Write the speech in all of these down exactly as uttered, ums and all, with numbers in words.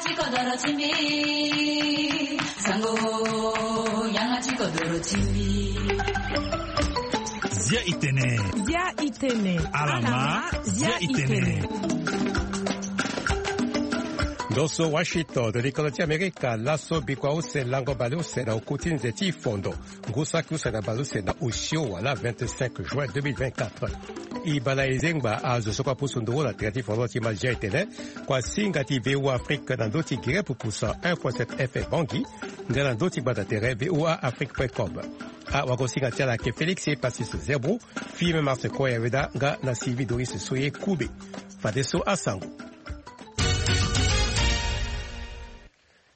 Ti kodoro ti mbi, sango, yanga ti kodoro ti mbi. Zia itene. Zia itene. Alama, zia itene. Ndo so Washington, likolo ti Amerika, laso bikua use lango bale use na oku ti nze ti fondo. Ngu saki use na bale use na osio wala vingt-cinq juin deux mille vingt-quatre. E baa na e zengba azo so kue apusu nduru na tere ti fondo ti ma zia itene. Kua singa ti V O A Afrique na ndö ti gere pupusa un point sept F M Bangui, nga na ndö ti gbanda tere V O A Afrique point com. Awagosinga ti ala ayeke Félix Epasis Zebro, Fime Marse Koya Weda nga na Sylvie Doris Soye Koube. Fadeso asango.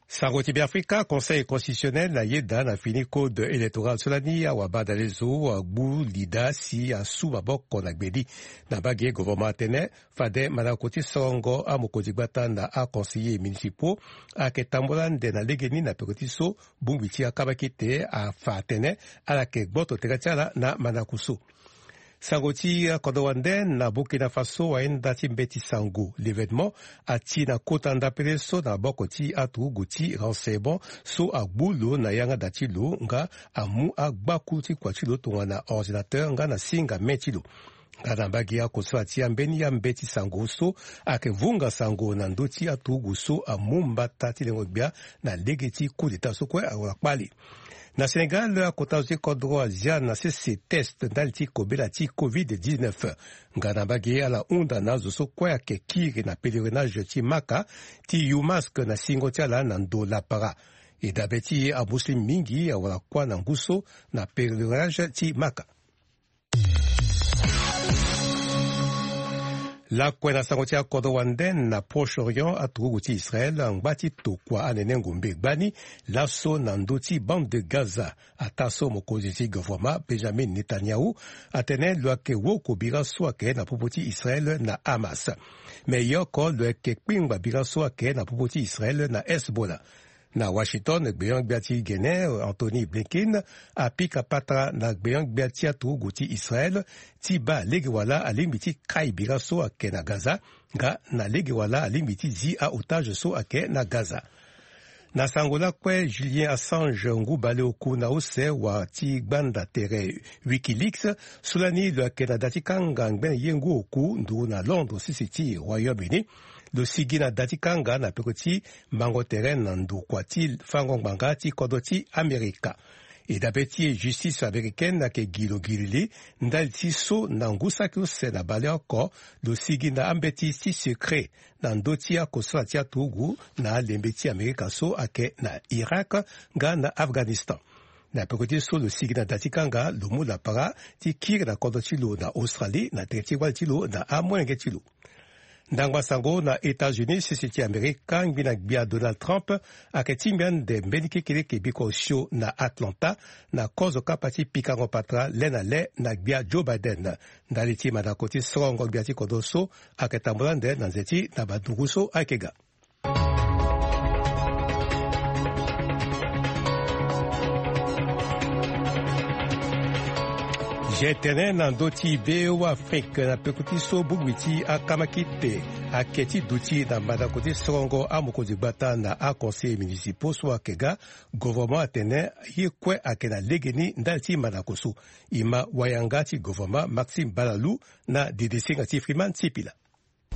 Sango ti Beafrika, Conseil constitutionnel ayeda na fini code électoral so lani awabadale zo agbu lida si asu maboko na gbe ni. Na mbage, gouvernement atene fade mandako ti sorongo amokonzi gbata na aconseillers municipaux ayeke tambula ande na legeni na peko ti so bongbi ti akamakite afa atene ala yeke gboto tere ti ala na mandako so. Sango ti kodro wande, na Burkina Faso, ayenda ti mbeti sango L'Événement ati na kota ndapele so na maboko ti aturugu ti renseignement so agbu lo na yanga da ti lo nga amu agbaku ti kua ti lo tongana ordinateur nga na singa main ti lo. Nga na mbage, akosala ti ambeni ambeti sango so ayeke vunga sango na ndö ti aturugu so amu mbata ti lengo gbia na lege ti coup d'état so kue awara kpale. Na Sénégal, akota zo ti kodro azia na sese test ndali ti kobela ti covid dix-neuf. Nga na mbage, ala hunda na azo so kue ayeke kiri na pèlerinage ti Maka ti yu masque na singo ti ala na ndo lapara. E dabe ti amuslim mingi awara kuâ na ngu so na pèlerinage ti Maka. Lakue na sango ti akodro wande, na Proche-Orient, aturugu ti Israël angba ti tokua anene ngombe gbani laso na ndö ti bande de Gaza. Ataa so mokonzi ti gouvernement Benjamin Netanyahu atene lo yeke woko bira so ayeke na popo ti Israël na Hamas. Me e oko lo yeke kpingba bira so ayeke na popo ti Israël na Hezbollah. Na Washington, gbeon-gbia ti Gene, Antony Blinken, apika patara na gbeon-gbia ti aturugu ti Israël ti baa lege wala alingbi ti kai bira so ayeke na Gaza, nga na lege wala alingbi ti zi a-otage so ayeke na Gaza. Na sango lakue, Julian Assange, ngu baleoku na use wa ti gbanda tere Wikileaks, so lani lo yeke na da ti kanga ngbene ye ngu oku nduru na Londres sese ti Royaume-Uni, lo sigi na da ti kanga na peko ti mango tere na ndokua ti fango ngbanga ti kodro ti Amerika. E dabe ti e, justice américaine ayeke gi lo gilili ndali ti so na ngu saki use na baleoko lo sigi na ambeti ti secret na ndö ti akosala ti aturugu na alembe ti Amerika so ayeke na Irak nga na Afghanistan. Na peko ti so lo sigi na da ti kanga, lo mu lapara ti kiri na kodro ti lo na Australie na tere ti wali ti lo na amolenge ti lo. Ndangba sango na États-Unis, sese ti Amerika, ngbina gbia Donald Trump ayeke tingbi ande mbeni kekeleke bikua osio na Atlanta na kozo kapa ti pikango patara le na le na gbia Joe Biden. Ndali ti mandako ti sorongo gbia ti kodro so ayeke tambula ande na nze ti na bandungu so ayeke ga. Zia tene na ndö ti V O A Afrique na peko ti so bongbi ti akamakite ayeke ti duti na mandako ti sorongo amokonzi gbata na aconseillers municipaux so ayeke ga. Gouvernement atene ye kue ayeke na legeni ndali ti mandako so. E ma wayanga ti gouvernement Maxime Balalou na didisinga ti Freeman Sipila.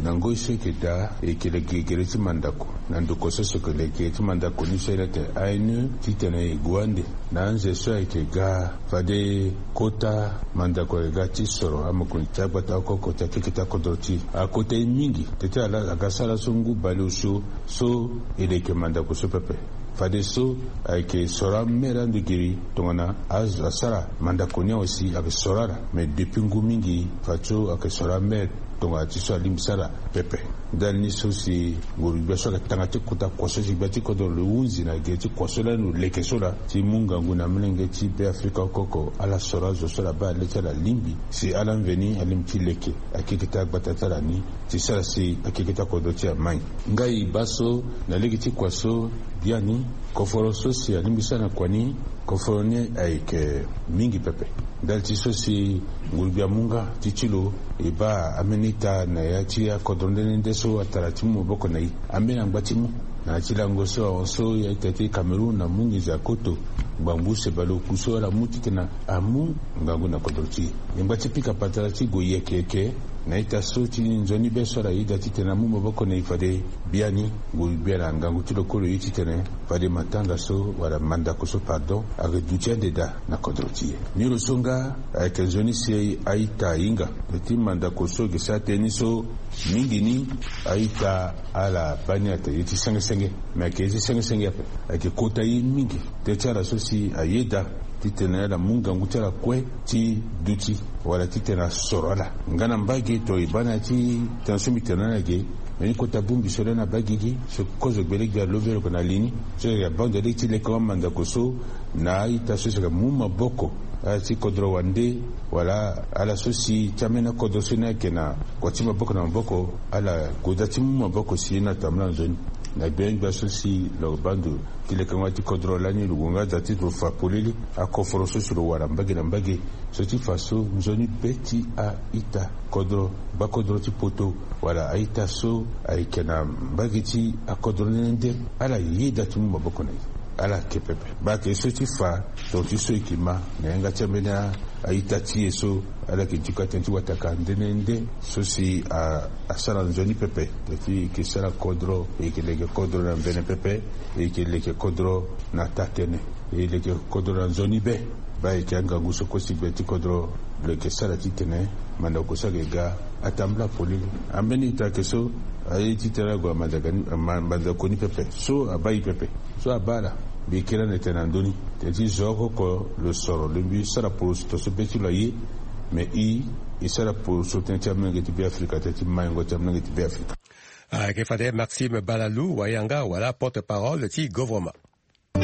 Na ngoi so e yeke daa, e yeke leke gere ti mandako na ndokua so so e yeke leke gere ti mandako ni so e leke A N E titene e gue ande na anze so ayeke ga fade kota mandako ayeke ga ti soro amokonzi ti agbata oko oko ti akeke ti akodro ti e. Akota e mingi tete ala aga sara so ngu baleosio so e leke mandako so pepe. Fadeso ayeke soro amere ande giri tongana azo asara mandako ni awe si ayeke soro ala. Me depuis ngu mingi fadeso ayeke soro amere tongana ti so alingbi sara pepe. Ndali ni so si nguru gbia so ayeke tanga ti kota kua so si gbia ti kodro lo hunzi na gere ti kua so lani lo leke so laa ti mu ngangu na molenge ti Beafrika oko oko ala soro azo so ala baa le ti ala lingbi si ala mveni alingbi ti leke akeke ti agbata ti ala ni ti sara si akeke ti akodro ti e amai. Ngai e baa so na lege ti kua so biani koforo so si alingbi sara na kua ni, koforo ni ayeke mingi pepe. Ndali ti so si nguru gbia amu nga ti ti lo e baa ambeni ita na ya ti akodro nde nde nde so atara ti mu maboko na e. Ambeni angba ti mu Na ti lango so ahon so ya ita ti Cameroun amu nginza koto ngbangbu use baleoku so ala mu titene amu ngangu na kodro ti e. E ngba ti pika patara ti gue yeke yeke na ita so ti nzoni be so ala yeda titene amu maboko na e fade biani ngu gbia na ngangu ti lo kue lo ye titene fade matanga so wala mandako so pardon ayeke duti ande daa na kodro ti e. Ni lo so nga ayeke nzoni si a-ita ahinga. Ti mandako so eke sara tënë ni so mingi ni a-ita ala baa ni atene ye ti senge senge. Me ayeke ye ti senge senge ape. Ayeke kota ye mingi tënë ti ala so si ayeda titene ala mu ngangu ti ala kue ti duti wala titene asoro ala nga na mbage. To e baa na ya ti tënë so mbi tene na ala ge. Me ni kota bongbi so lani abaa gigi so kozo gbele gbia lo ve lo yeke na li ni so yeke abaa ndo lege ti leke wa mandako so na a-ita so si yeke mu maboko ala ti kodro wande wala ala so si ti ambeni akodro so ni ayeke na kua ti maboko na maboko. Ala goda ti mu maboko si ye ni atambula nzoni na gbia gbia so si lo baa ndo ti lekengo ti kodro lani lo gue nga aza ti lo fa polele akoforo so si lo wara mbage na mbage. So ti fa so nzoni be ti a-ita kodro gbakodro ti poto wala a-ita so ayeke na mbage ti akodro nde nde ala yeda ti mu maboko na e. Ala yeke pepe baa ake so ti fa tonga ti so e yeke ma na yanga ti ambeni a-ita ti e so ala yeke diko atënë ti wataka nde nde nde so si a asara nzoni pepe. Teti e yeke sara kodro e yeke leke kodro na mbene pepe. E yeke leke kodro na taa-tënë. E leke kodro na nzoni be. Baa e yeke angangu so kue si gbe ti kodro lo yeke sara titene mandako so ayeke ga atambula polele. Ambeni ita ayeke so aye titene ague na mandako ni pepe so abaa e pepe. So abaa ala mbi yeke lani tene na ndö ni teti zo oko oko lo soro lo mbi sara poroso tongaso be ti lo aye. Me i e sara poroso tënë ti amolenge ti be afrika tënë ti maingo ti amolenge ti be afrika. Ayeke fade Maxime Balalou wayanga wala porte-parole ti gouvernement. E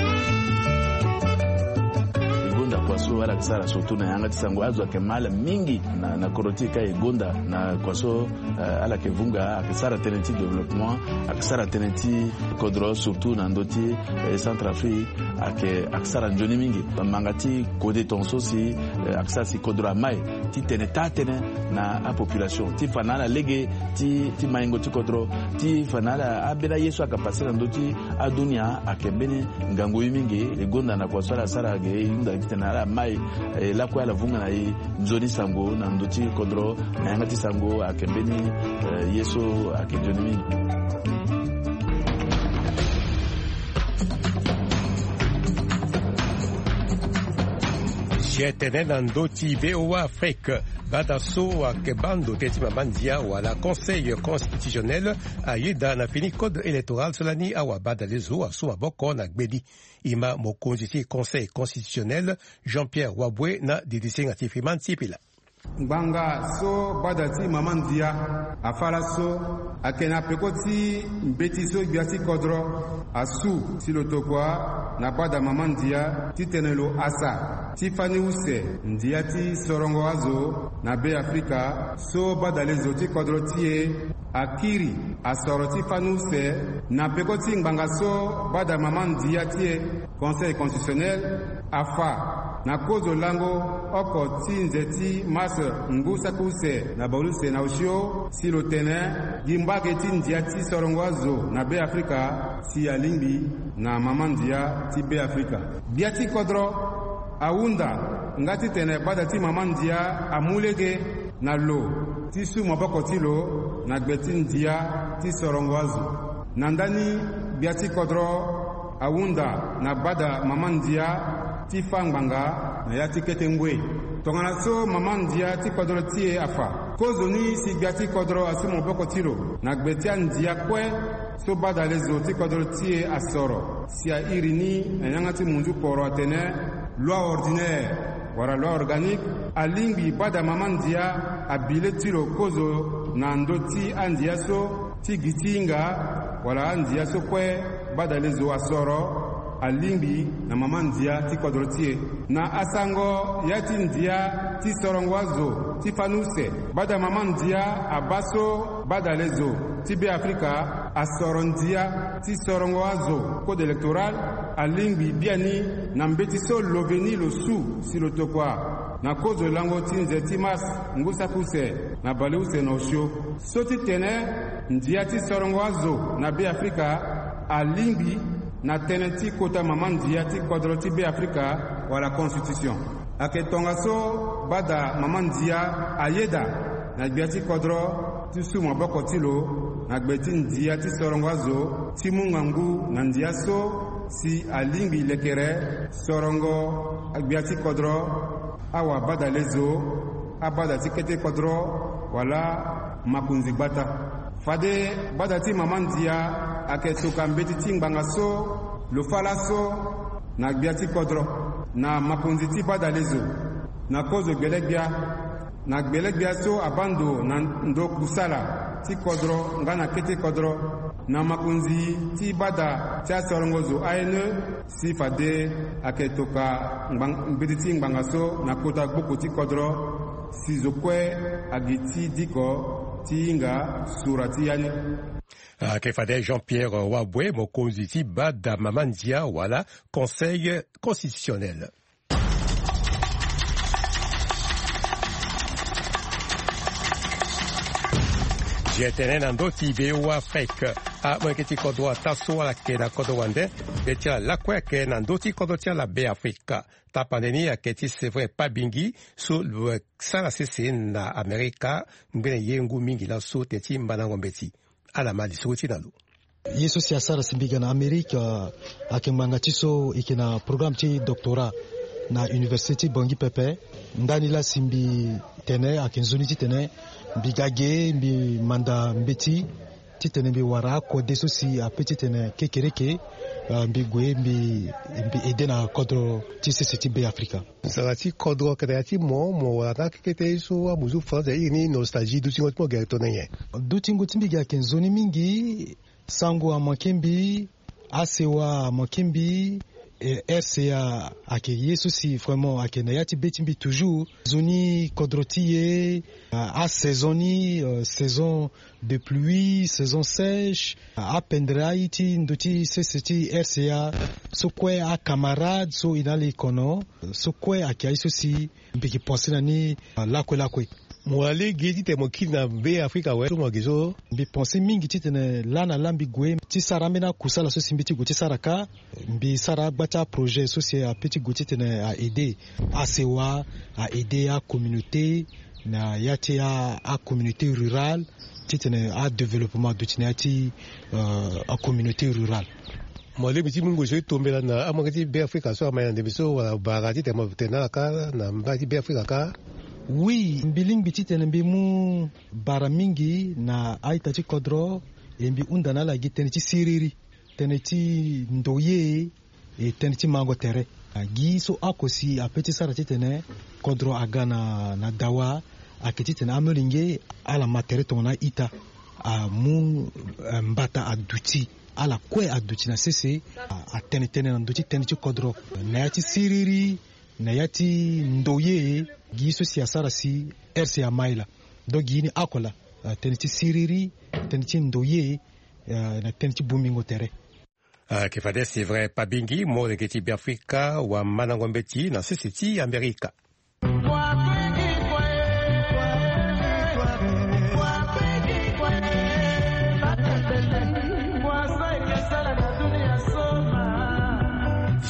gonda kua so ala yeke sara surtout na yanga ti sango azo ayeke ma ala mingi na na kodro ti e ka e gonda na kua so ala yeke vunga ayeke sara tënë ti développement ayeke sara tënë ti kodro surtout na ndö ti centre afrique. Ayeke ayeke sara nzoni mingi manga ti kode tongaso si ayeke sara si kodro amai titene taa-tënë na apopulation ti fa na ala lege ti maingo ti kodro ti fa na ala ambeni aye so ayeke pase na ndö ti adunia ayeke mbeni ngangu ye mingi. E gonda na kua so ala sara ge e hunda titene ala mai e lakue ala vunga na e nzoni sango na ndö ti kodro na yanga ti sango ayeke mbeni ye so ayeke nzoni mingi. Sietene na ndö ti voa afrique. Gbata so ayeke baa ndo tënë ti mama ndia wala conseil constitutionnel ayeda na fini code électoral so lani awabadale zo asu maboko na gbeni. E ma mokonzi ti conseil constitutionnel jean-pierre wabwe na didisinga ti fiman ti pila. Ngbanga so bada ti mama ndia afa laso ayeke na peko ti mbeti so gbia ti kodro asu si lo tokua na bada mama ndia titene lo hasa ti fani use ndia ti sorongo azo na be afrika so badale zo ti kodro ti e akiri asoro ti fani use na peko ti ngbanga so bada mama ndia ti e conseil constitutionnel afa na kozo lango oko ti nze ti mars ngu saki use na bale use na osio si lo tene gi mbage ti ndia ti sorongo azo na be afrika si alingbi na mama ndia ti be afrika. Gbia ti kodro ahunda nga titene bada ti mama ndia amu lege na lo ti su maboko ti lo na gbe ti ndia ti sorongo azo. Na ndani gbia ti kodro ahunda na bada mama ndia ti fa ngbanga na ya ti kete ngoi. Tongana so mama ndia ti kodro ti e afa kozoni si gbia ti kodro asu maboko ti lo na gbe ti andia kue so badale zo ti kodro ti e asoro si airi ni na yanga ti munzu kporo atene loi ordinaire wala loi organique alingbi bada mama ndia abi le ti lo kozo na ndö ti andia so ti gi ti hinga wala andia so kue badale zo asoro alingbi na mama ndia ti kodro ti e. Na asango ya ti ndia ti sorongo azo ti fani use bada mama ndia abaa so badale zo ti be afrika asoro ndia ti sorongo azo code électoral alingbi biani na mbeti so loveni lo su si lo tokua na kozo lango ti nze ti mars ngu saki use na bale use na osio so ti tene ndia ti sorongo azo na be afrika Alingbi na tënë ti kota mama ndia ti kodro ti Beafrika wala constitution. Ayeke tongaso bada mama ndia ayeda na gbia ti kodro ti su maboko ti lo na gbe ti ndia ti sorongo azo ti mu ngangu na ndia so si alingbi lekere sorongo agbia ti kodro, awabadalezo, abada ti kete kodro wala makonzi gbata. Fade bada ti mama ndia ayeke toka mbeti ti ngbanga so lo fâ laso na gbia ti kodro na makonzi ti badalezo na kozo gbelegbia, na gbelegbia so abaa ndo na ndo kusala ti kodro nga na kete kodro na makonzi ti bada ti asorongo zo A N E, si fade ayeke toka ngbang-, mbeti ti ngbanga so na kota gboko ti kodro si zo kue agi ti diko ti hinga sura ti ya ni. Ayeke fade Jean-Pierre Wabwe, mokonzi ti bada mama ndia wala Conseil constitutionnel. Zia tene na ndö ti Be Afrika, amolenge ti kodro ataa so ala yeke na kodro wande, be ti ala lakue ayeke na ndö ti kodro ti ala Be Afrika. Tapande ni ayeke ti Séverin Pabingi so lo sara sese na Amerika, ngbene ye ngu mingi laso tene ti mbandango mbeti. Ala ma lisoro ti na lo. Ye so si asara si mbi ga na Amérique, euh, ayeke ngbanga ti so e yeke na programme ti doctorat na université ti Bangui pepe. Ndani laa si mbi tene ayeke nzoni titene mbi ga ge mbi manda mbeti titene mbi wara akode so si ape titene kekereke, euh, mbi gue mbi, mbi aidé na kodro ti sese ti Be Afrika. Sara ti kodro ayeke na ya ti mo, mo wara na akekete ye so amuzu France airi ni nostalgie, dutingo ti mo ayeke tongana nyen? Dutingo ti mbi ge ayeke nzoni mingi. Sango amanke mbi, asewa amanke mbi, eh, R C A ayeke ye so si vraiment ayeke na ya ti be ti mbi toujours. Nzoni kodro ti e, ah, asaison ni, euh, saison de pluie, saison sèche, ah, apendre aye ti ndö ti sese ti R C A so kue, acamarade so e na ala e kono so kue ayeke aye so si mbi yeke pense na ni, ah, lakue lakue. Mo wara lege titene mo kiri na Be Afrika awe so mo yeke so? Mbi pense mingi titene laa na laa mbi gue ti sara ambeni akusala so si mbi ti gue ti sara kâ. Mbi sara agba ti aprojet so si ape ti gue titene a aidé asewa, a aidé acommunauté na ya ti a, acommunauté rurale, titene adéveloppement aduti na ya ti, euh, acommunauté rurale. Mo lingbi ti mu ngoi so ti tombela na amolenge ti Be Afrika so ama ye na ndembe so wala bara titene mo tene na ala kâ na mbage ti Be Afrika kâ? Oui, mbi lingbi titene mbi mu bara mingi na a-ita ti kodro, e mbi hunda na ala gi tënë ti siriri, tënë ti ndoye, e tënë ti mango tere. Gi so oko si ape ti sara titene kodro aga na, na dawa, ayeke titene amolenge ala ma tere tongana a-ita, amu, eh, mbata aduti, ala kue aduti na sese, a, atene tënë na ndö ti tënë ti kodro na ya ti siriri, na ya ti ndoye. Gi so si asara si R C A ama e laa. Donc gi ni oko laa, eh, tënë ti siriri, tënë ti ndoye, eh, na tënë ti bongbingo tere. Ayeke fade Séverin Pabingi, molenge ti Be Afrika, wamandango mbeti na sese ti Amerika.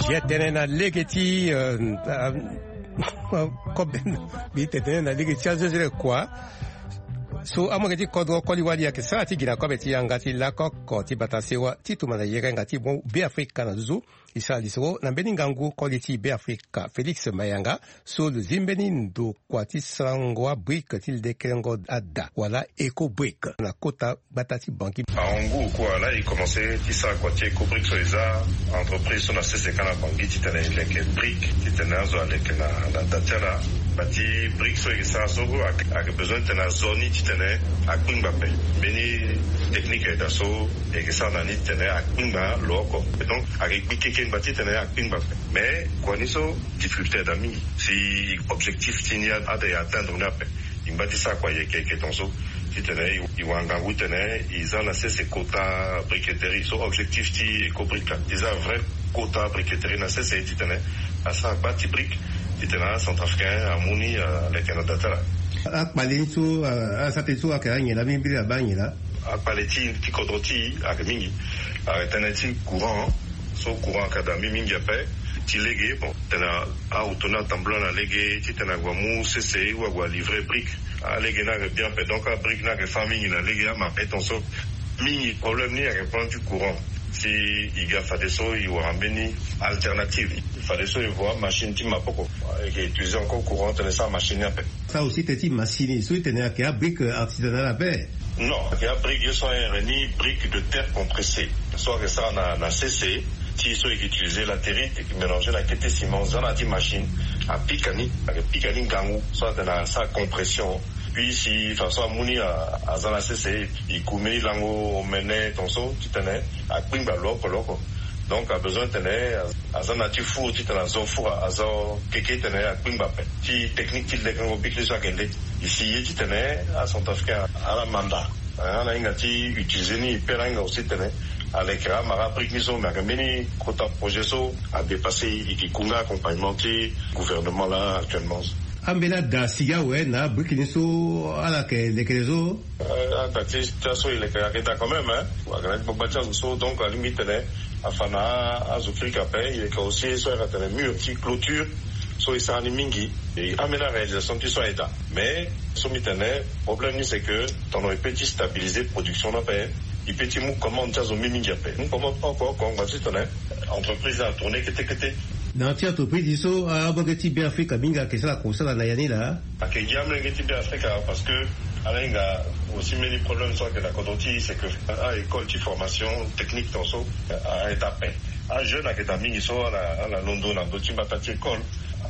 Zia tënë na lege ti, euh, euh, kobe, mbi tene tënë na lege ti azezele kua. So amolenge ti kodro koli wali ayeke sara ti gi na kobe ti yanga ti lako oko ti bata sewa ti tuma na yerenga ti mo Be Afrika na nduzu. E sara lisoro na mbeni ngangu koli ti Be Afrika Félix Mayanga so lo zi mbeni ndokua ti sarango abrique ti lekerengo ada wala Ecobrique na kota gbata ti Bangui. Ahon ngu kua laa e commencé ti sara kua ti Ecobrique so e za entreprise so na sese kâ na Bangui titene e leke brique titene azo aleke na, na da ti ala. Bati brique so e yeke sara so ayeke, ayeke besoin titene azo ni titene akpingba ape. Mbeni technique aye daa so e yeke sara na ni titene akpingba lo oko. Donc ayeke gbi kekengba titene akpingba ape. Mais kua ni so difficulté aye daa mingi. Si objectif ti ni a, ade e atteindre ni ape. E ngba ti sara kua yeke yeke tongaso titene e, e wara ngangu titene e za na sese kota briqueterie. So objectif ti Ecobrique laa, e za vrai kota briqueterie na sese titene asara gba ti brique titene acentrafricain amu ni aleke na da ti ala. Akpale ni so, a, asara tënë so ayeke anyen laa, mbeni mbeni abaa anyen laa. Akpale ti ti kodro ti e ayeke mingi. Ayeke tënë ti courant. So courant ayeke daa mingi mingi ape. Ti lege bon tene aoto ni atambula na lege titene ague amu sese ou ague alivrer brique. Alege ni ayeke bien ape, donc abrique ni ayeke fâ mingi na lege amara tonso. Mingi problème ni ayeke problème ti courant. Si e ga fadeso e wara mbeni alternative. Fadeso e vo amachine ti maboko. E yeke utiliser encore courant tene e sara machine ni ape. Sa aussi tene ti machine so e tene ayeke abrique artisanale ape? Non, ayeke abrique ye so ayere ni brique de terre compressée. So ayeke sara na na sese. Ti so e yeke utiliser latérite e yeke mélanger na kete ciment za na ya ti machine. Apika ni ayeke pika ni ngangu so atene asara compression. Puis si façon amu ni aza na sese e ku mbeni lango omene tonso titene akpingba lo oko lo oko. Donc abesoin titene aza na ti four titene azo four azo keke titene akpingba ape. Ti technique ti lekango brique ni so ayeke le. E si ye titene acentrafricain ala manda ala hinga ti utiliser ni. E pe ala hinga aussi titene alekere amara brique ni so me ayeke mbeni kota projet so adépasser e. E yeke ku nga accompagnement ti gouvernement laa actuellement. Ambeni ada sigi awe na abrique ni so ala yeke lekere so? Ada ti ti aso e leke ayeke daa quand même hein. Ayeke na ti gbagba ti azo so donc alingbi titene afa na azo kirika ape. E leke aussi so ayeke tene mur ti clôture so e sara ni mingi. Ambeni aréalisation ti so ayeke daa. Mais so mbi tene problème ni c'est que tongana e pe ti stabiliser production ni ape e pe ti mu commande ti azo mingi mingi ape mu commande oko oko ngba ti tene entreprise atourner kete kete. Na ya ti entreprise so amolenge ti be afrika mingi ayeke sara kosala na ya ni laa. Ayeke gi amolenge ti be afrika parce que ala hinga aussi mbeni problème so ayeke na kodro ti e c'est que a école ti formation technique tonso a aida ape. Ajeune ayeke daa mingi so ala londo na ndö ti mbata ti école.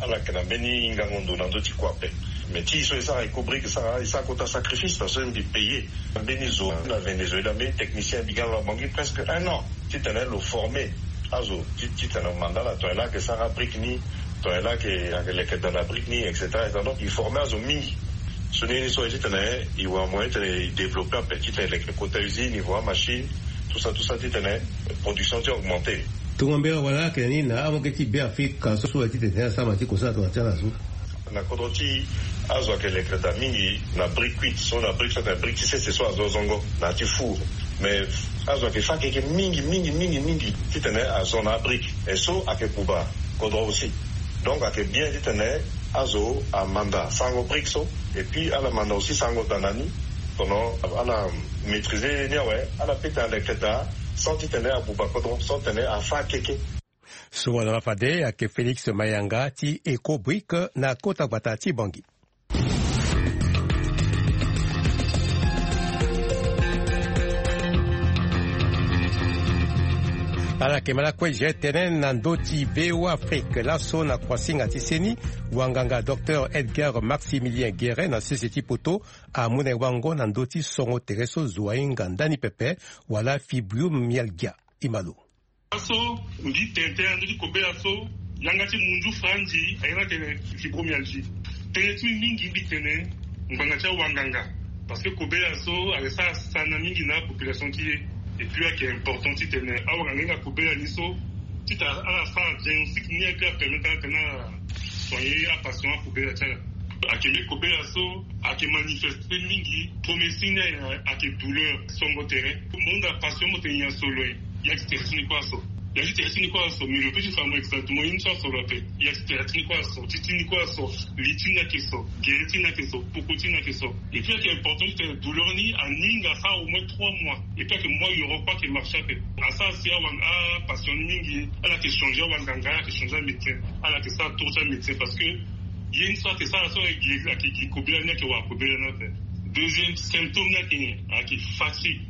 Ala yeke na mbeni ngango ndo na ndö ti kua ape. Mais ti e so e sara éco brique e sara e sara kota sacrifice parce que mbi payer mbeni zo na venezuela mbeni technicien mbi ga na lo abongi presque un an titene lo former azo titene lo manda ala tongana e laa ayeke sara abrique ni tongana e laa ayeke leke daa na brique ni et cetera. Donc e former azo mingi. So ni ni so aye titene e wara moyen titene e développer ape titene e leke kota usine e vo amachine tout ça tout ça titene production ti e augmenter. Tongambela wala ayeke na ni na amolenge ti be afrika so so aye titene asara ma ti kosala tongana ti ala so. Na kodro ti e azo ayeke leke daa mingi na brique cuite so na brique so atene brique ti sese so azo zongo na ya ti four. Mais azo ayeke fâ keke mingi mingi mingi mingi titene azo na abrique e so ayeke buba kodro aussi. Donc ayeke bien titene azo amanda sarango brique so et puis ala manda aussi sarango daa na ni. Tongana ala maîtriser ni awe ala pe tene aleke daa sans titene abuba kodro sans titene afâ keke. So wala fade ayeke félix mayanga ti éco brique na kota gbata ti bangi. Ala yeke ma lakue je tene na ndö ti voa afrique laso na kuasinga ti seni wanganga docteur edgar maximilien guéret na sese ti poto amu na e wango na ndö ti songo tere so zo ahinga ndani pepe wala fibromyalgia. E ma lo. Laso mbi tene tënë na ndö ti kobela so yanga ti munzu franzi ayeke na tene fibromyalgie. Tënë ti mbi mingi mbi tene ngbanga ti awanganga parce que kobela so ayeke sara sana mingi na apopulation ti e. Et puis ayeke important titene awanganga ahinga kobela ni so titene ala sara diagnostic ni ayeke apermettre ala tene ala soigner apatient akobela ti ala. Ayeke mbi kobela so ayeke manifeste mingi. Premier signe ni ayeke douleur songo tere. Mo hunda patient mo tene nyen so lo ye? Ya ti tere ti ni kue aso. Ya ti tere ti ni kue aso mais lo pe ti fa mo exactement ye ni so aso lo ape. Ya ti tere ti ni kue aso ti ti ni kue aso. Li ti ni ayeke so. Gere ti ni ayeke so. Poko ti ni ayeke so. Et puis ayeke important titene douleur ni aninga asara au moins trois mois. Et puis ayeke moi yoro kue ayeke marché ape. Asara si awa apatient ni mingi. Ala yeke changer awanganga ala yeke changer amédecin. Ala yeke sara tour ti amédecin parce que ye ni so ayeke sara so ayeke gi kobela ni ayeke wara kobela ni ape. Deuxième symptôme ni ayeke nyen? Ayeke fatigue.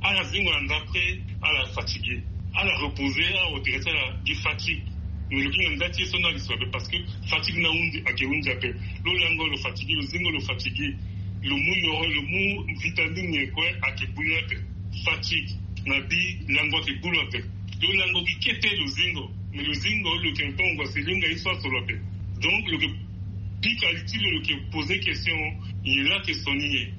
Ala zingo na ndapre ala fatigué. Ala reposer ala hotere ti ala gi fatigue. Mais lo kiri na nda ti ye so ni ayeke so ape parce que fatigue ni ahundi ayeke hundi ape. Lo lango lo fatigué lo zingo lo fatigué. Lo mu yoro lo mu vitamine nyen kue ayeke gbu ni ape. Fatigue na bi lango ayeke gbu lo ape. Lo lango gi kete lo zingo. Mais lo zingo lo yeke ntongo asi lo hinga ye so aso lo ape. Donc lo yeke pika li ti lo lo yeke poser question. Nyen laa ayeke so ni nyen?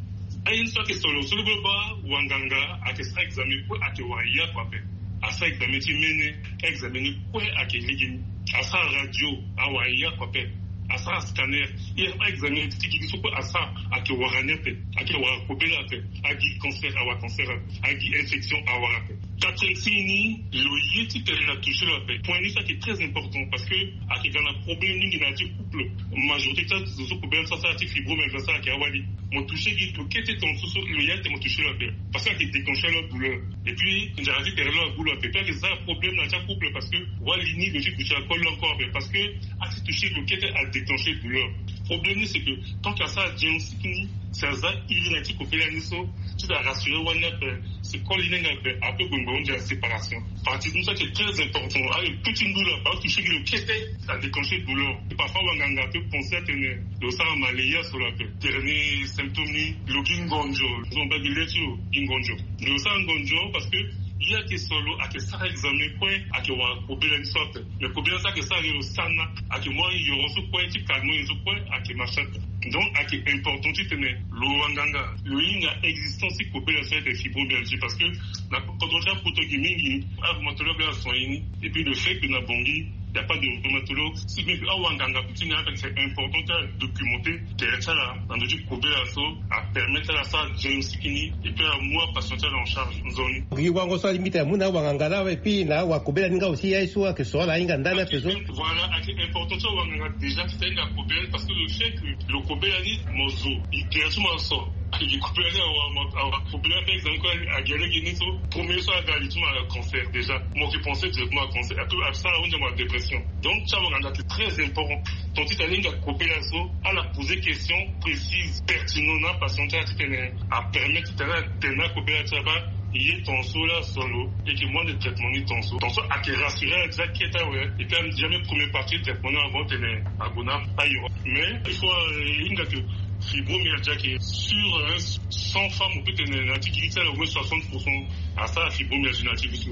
Aye ni so ayeke so lo so lo baa wanganga ayeke sara examen kue ayeke wara ye oko ape. Asara examen ti mene. Examen ni kue ayeke lege ni. Asara radio awara ye oko ape. Asara scanner, ye aexaminer ti gigi so kue asara, ayeke wara ni ape. Ayeke wara kobela ape. Agi cancer, awara cancer ape. Agi infection, awara ape. Quatrième signe ni, lo ye ti tene na toucher lo ape. Point ni so ayeke très important parce que ayeke ga na problème mingi na ya ti couple. Majorité ti azo so kobela ni so asara ti fibromyalgie asara ayeke awali. Mo toucher gi lo kete tongaso so lo ye ate mo toucher lo ape. Parce que ayeke déclencher lo douleur. Et puis nzara ti tere lo agu lo ape. Puis ayeke za problème na ya ti acouple parce que wali ni lo ti duti akol lo encore ape. Parce que ati toucher lo kete adéclencher douleur. Problème ni c'est que tant que asara diagnostic ni, si aza iri na ya ti kobela ni so, ti da rassurer wali ni ape, si koli ni nga ape, ape gue ngba hunzi aséparation. Partie ni so ayeke très important. Aye petit ndula ba toucher gi lo kete adéclencher douleur. Parfois wanganga ape penser atene lo sara malaria so lo ape. Dernier symptôme ni, lo gi ngonzo. Zo mba gi le ti lo gi ngonzo. Lo sara ngonzo parce que ye ayeke so lo ayeke sara examen kue, ayeke wara kobela ni so ape. Mais kobela so ayeke sara gi lo sana, ayeke mu ayoro so kue ti calmant ye so kue ayeke marché ape. Donc ayeke important ti tene lo wanganga lo hinga existence ti kobela so ayeke fibromyalgie parce que na kodro ti apoto gi mingi, arhumatologue asoigné ni. Et puis le fait que na Bangui il n'y a pas de rhumatologue, si bien que awanganga ti ni ape c'est important ti adocumenté tere ti ala na ndö ti kobela so, apermettre ala asara diagnostic ni et puis amu apatient ti ala en charge nzoni. Gi wango so alingbi tene amu na awanganga laa et puis na awakobela ni nga aussi ye so ayeke so ala ahinga ndani ape so. Voilà, ayeke important ti awanganga déjà ti tene ahinga kobela ni parce que le fait que lo kobela ni mo zo, e tere ti mo aso. Ayeke gi kobela ni awa, awa kobela ni ape exemple kue agi alege ni so premier so aga li ti mo aga cancer déjà. Mo yeke penser directement à cancer. Ape asara ahunzi mo na dépression. Donc ti awanganga ayeke très important. Donc ti tene ahinga kobela so ala poser question précise, pertinent na apatient ti ala ti tene apermettre ti tene atene akobela ti ala baa, e ye tongaso laa so lo, e yeke mu ande traitement ni tongaso. Tongaso ayeke rassurer ala déjà kete awe. Et puis ame déjà même première partie traitement ni avant tene ague na ayo. Mais il faut, euh, hinga que fibromyalgie ayeke sur, hein, cent femmes, on peut tene na ti gigi ti ala au moins soixante pour cent asara fibromyalgie na ti gi so.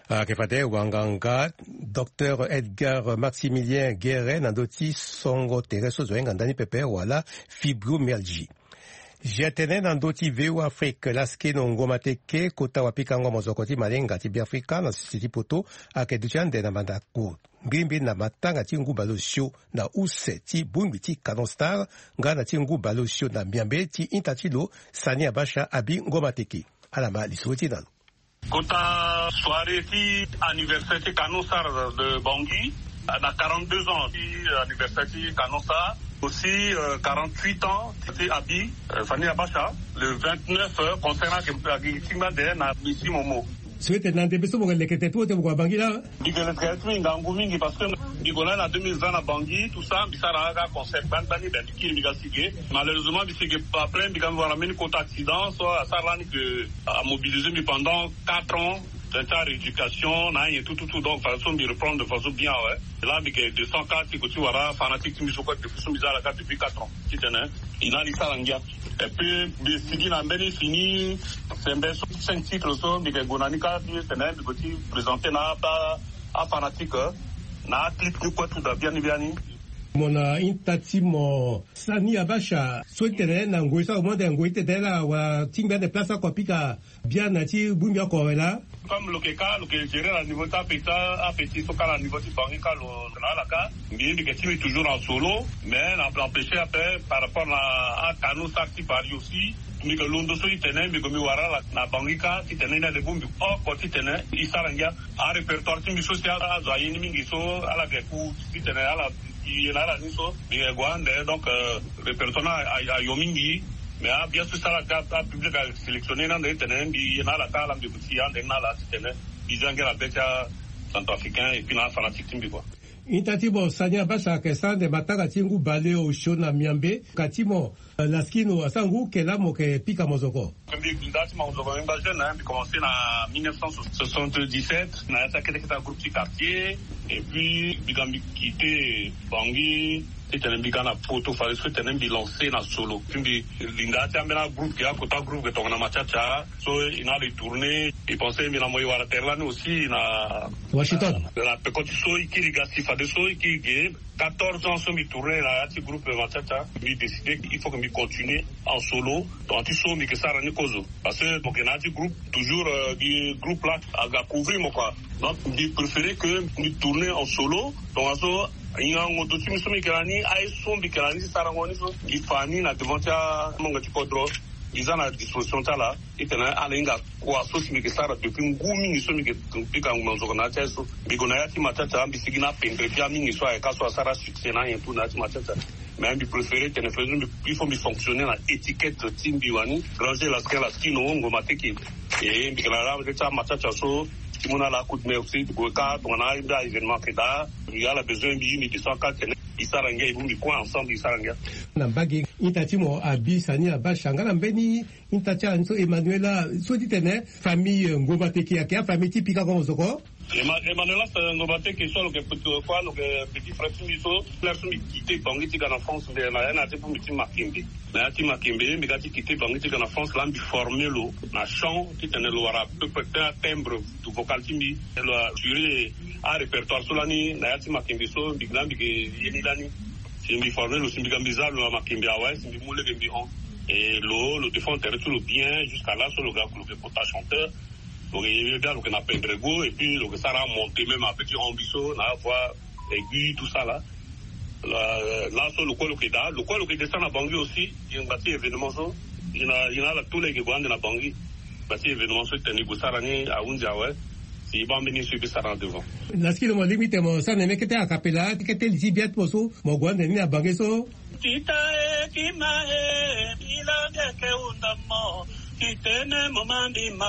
Ayeke fade wanganga Docteur Edgar Maximilien Guéret na ndö ti songo tere so zo ahinga ndani pepe wala fibromyalgie. Zia tënë na ndö ti V O A Afrique, laskeno ngoma teke kota wapikango mozoko ti malinga ti Beafrika na sese ti poto ayeke duti ande na mandako ngbiringbi na matanga ti ngu baleosio na use ti bongbi ti Canon Star nga na ti ngu baleosio na miambe ti ita ti lo Sani Abacha abi ngoma teke. Ala ma lisoro ti na lo. Kota soirée ti anniversaire ti Canon Star de Bangui, na quarante-deux ans ti anniversaire ti Canon Star, aussi, euh, quarante-huit ans ti Abi, euh, Sani Abacha, le vingt-neuf, euh, concert ayeke tingbi ande na Misi Momo. So ete na ndembe so mo yeke leke tene ti mo gue na Bangui laa. Mbi yeke leke tene ti mbi ngangu mingi parce que mbi gue na ni na deux mille vingt na Bangui, tout ça, mbi sara kaka concert gbani gbani, ben, mbi kiri mbi ga si ge. Malheureusement mbi si ge après, mbi ga mbi wara mbeni kota accident so asara lani ke amobilisé mbi pendant quatre ans. Tene ti arééducation na anyen tout tout tout, donc façon mbi reprendre de façon bien awe. Là mbi yeke descend kâ ti ko ti wara fanatique ti mbi so kue depuis so mbi za ala kâ depuis quatre ans. Titene e na ala e sara ngia. Et puis mbi sigi na mbeni fini sembe so cinq titres so mbi yeke gue na ni kâ ti tene mbi ko ti présenter na a, afanatique na aclip ni kue tout da biani biani. Mo na ita ti mo Sani Abacha so ti tene na ngoi so ague mo ande ngoi ti tene laa wala tingbi ande place oko apika biani na ti bongbi oko awe laa. Comme lo yeke kâ lo yeke gérer na niveau ti apetit, apetit so kâ na niveau ti Bangui kâ lo na ala kâ. Mbi mbi yeke ti mbi toujours en solo, mais na empêcher ape par rapport na aCanon Star ti Paris aussi. Mbi yeke londo so ti tene mbi gue mbi wara ala na Bangui kâ titene e na ande bongbi oko titene e sara ngia. Arépertoire ti mbi so si azo aye ni mingi so ala yeke ku titene ala e na ala ni so mbi yeke gue ande. Donc, euh, répertoire ni a, a, ayo mingi. Mais abia so si ala ga apublic asélectionné ni ande titene mbi e na ala kâ ala mbi yeke ti e ande ni na ala titene mbi zia ngia na be ti acentrafricain et puis na afanatique ti mbi kua. Ita ti mo Sani Abacha ayeke sara ande matanga ti ngu baleosio na miambe. Ka ti mo, euh, laskino asara ngu ke laa mo yeke pika mozoko? Mbi linda ti mo mozoko mbi ngba jeune, hein, mbi commencé na mille neuf cent soixante-dix-sept na ya ti akete kete agroupe ti quartier. Et puis mbi ga mbi quitté Bangui titene mbi ga na poto fade so titene mbi lancé na solo. Puis mbi linda ti ambeni agroupe ke akota groupe ke tongana Machacha. So e na ala e tourné, e pensé mbi na mo e wara tere lani aussi na Washington. Na peko ti so e kiri ga si fadeso e kiri ge quatorze ans so mbi tourné na ya ti groupe Machacha, mbi décidé il faut que mbi continué en solo. Donc ti so mbi yeke sara ni kozo parce que mo yeke na ya ti groupe toujours, euh, gi groupe laa aga couvrir mo kua. Donc mbi préféré que mbi tourné en solo. Donc aso Ngango do ti mbi so mbi yeke na ni, aye so mbi yeke na ni ti sarango ni so, mbi fa ni na devant ti amongo ti kodro. Mbi za na disposition ti ala titene ala hinga kua so si mbi yeke sara depuis ngu mingi so mbi yeke pika ngbonzoko na ya ti aye so. Mbi gue na ya ti matata, mbi sigi na apendre ti amingi so ayeke aso asara succès na anyen tout na ya ti matata. Mais mbi préféré tene faisons mbi, il faut mbi fonctionner na étiquette ti mbi wani. Ranger la skin, la skin, no, ngo mateke. E mbi yeke na la ti amatata so ti mu na ala coup de main aussi, ti gue ka tongana mbi a événement ayeke daa, mbi ala besoin mbi, mbi descend ka tene mbi sara ngia, e mu mbi kue ensemble mbi sara ngia. Na mbage, ita ti mo abi sani abasha nga na mbeni ita ti ala ni so, Emmanuela, so ti tene famille, eh, Ngomba Teke ayeke afamille ti pika ngongo zoko. Emma-, Emmanuela, eh, Ngomba Teke so lo yeke petit, kua lo yeke petit frère ti mbi so, frère so mbi quitté Bangui ti ga na France, mbi na ya na ya ti pu mbi ti Makembe. Na ya ti Makembe, mbi ga ti quitté Bangui ti ga na France, laa mbi formé lo na chant, titene lo wara à peu près ti atimbre vocal ti mbi, lo assuré arépertoire so lani na ya ti Makembe so, mbi laa mbi yeke ye ni lani. Si mbi formé lo, si mbi ga mbi za lo na Makembe awe, si mbi mu lege mbi hon. E lo, lo défend tere ti lo bien, jusqu'à là so lo ga lo yeke kota chanteur. Lo yeke ye bia, lo yeke na pendrego, et puis lo yeke sara monté même avec ti hon mbi so na voix aiguë, tout ça là. Là, là so lo kue lo yeke daa, lo kue lo yeke descend na Bangui aussi, e ngba ti événement so, e na, e na ala tout laa e yeke gue ande na Bangui. Ngba ti événement so e tene e gue sara ni ahunzi awe. Si e baa mbeni so e peut sara na devant. Na siki lo mo lingbi tene mo sara na ni kete a cappella, kete li ti bia ti mo so mo gue ande ni na Bangui so. Tita e, kima e, mbi laa mbi yeke hunda mo. Titene mo ma mbi ma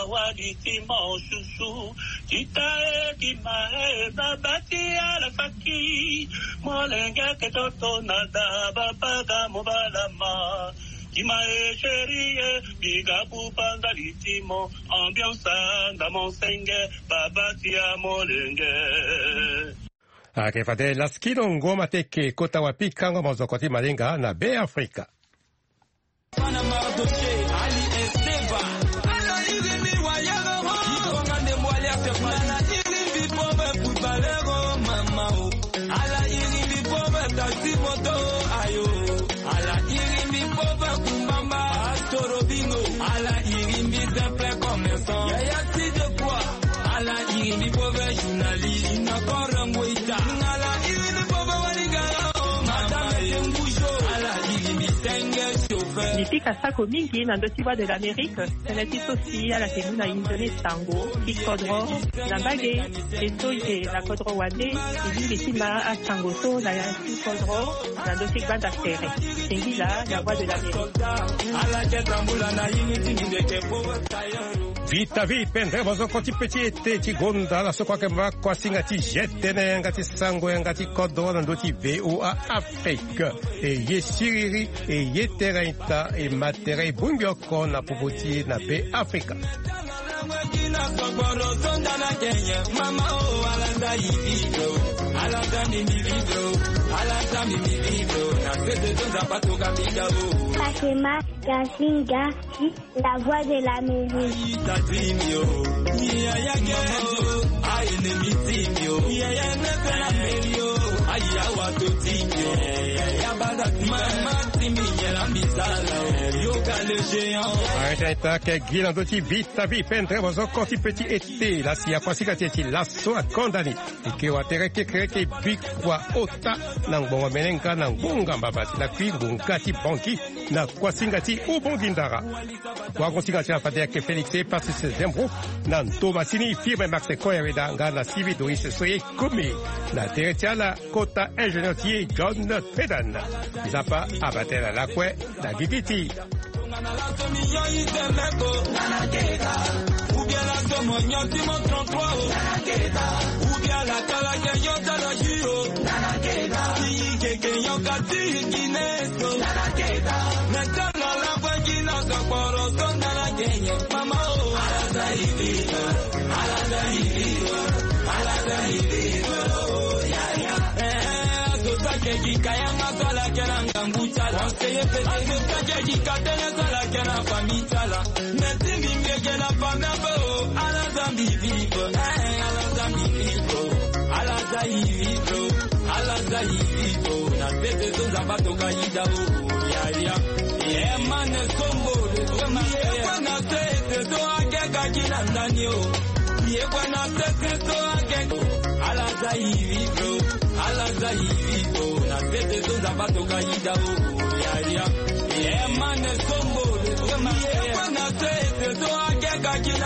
wali ti mo susu. Tita e, kima e, baba ti ala faki. Molenge ayeke toto na da, baba ga mo bala ma. Kima e, chéri e, mbi ga buba ndali ti mo. Ambiance anda mo senge, baba ti amolenge. Ayeke fade laskino Ngoma Teke kota wapikango mozoko ti malinga na Be Afrika. Ala iri mbi pauvre taxi moto, ayo. Ala iri mbi pauvre kumbamba, astorobino. Ala iri mbi simple commerçant. Yaya si de quoi? Ala iri mbi pauvre journaliste, na korongo ita. Ala iri mbi pauvre wanigara, oh, madame Tengujo. Ala iri mbi senge chauffeur. Mbi pika sako mingi na ndö ti Voix de l'Amérique. Tënë ti so si ala yeke mu na e nzoni sango ti kodro na mbage, e so e yeke na kodro wande, e lingbi ti ma asango so na ya ti kodro na ndö ti gbanda tere. Singila na Voix de l'Amérique. Vita vi pendere mozoko ti pe ti ete ti gonda ala so kue ayeke ma kuasinga ti G T N, yanga ti sango, yanga ti kodro na ndö ti V O A Afrique. E ye siriri, e ye tere ita, e ma tere, e bongbi oko na popo ti e na Be Afrika. Fatima Gasinga, la Voix de l'Amérique. Arrêtez ta ke gi na ndö ti Vita Vi pendere mozoko ti pe ti ete. La si akuasinga ti e ti laso akonda ni. E ke wa tere kekereke bikua ota na ngbongo menenga na ngbonga mbabasi na kui ngonga ti banki na kuasinga ti Ubongi Ndara. Wagosinga ti ala fade ayeke Félix Epasis Zembro, na ndo masini firme Max Koyaweda nga na Sivi Doris so e komi na tere ti ala kota ingénieur ti e John Pedan. Nzapa abatela lakue na gigi ti. Ala za iri o na tete so nzapa toka yida o. Yaya. Emane sombo le sema. Yekwe na tete so akeka kina.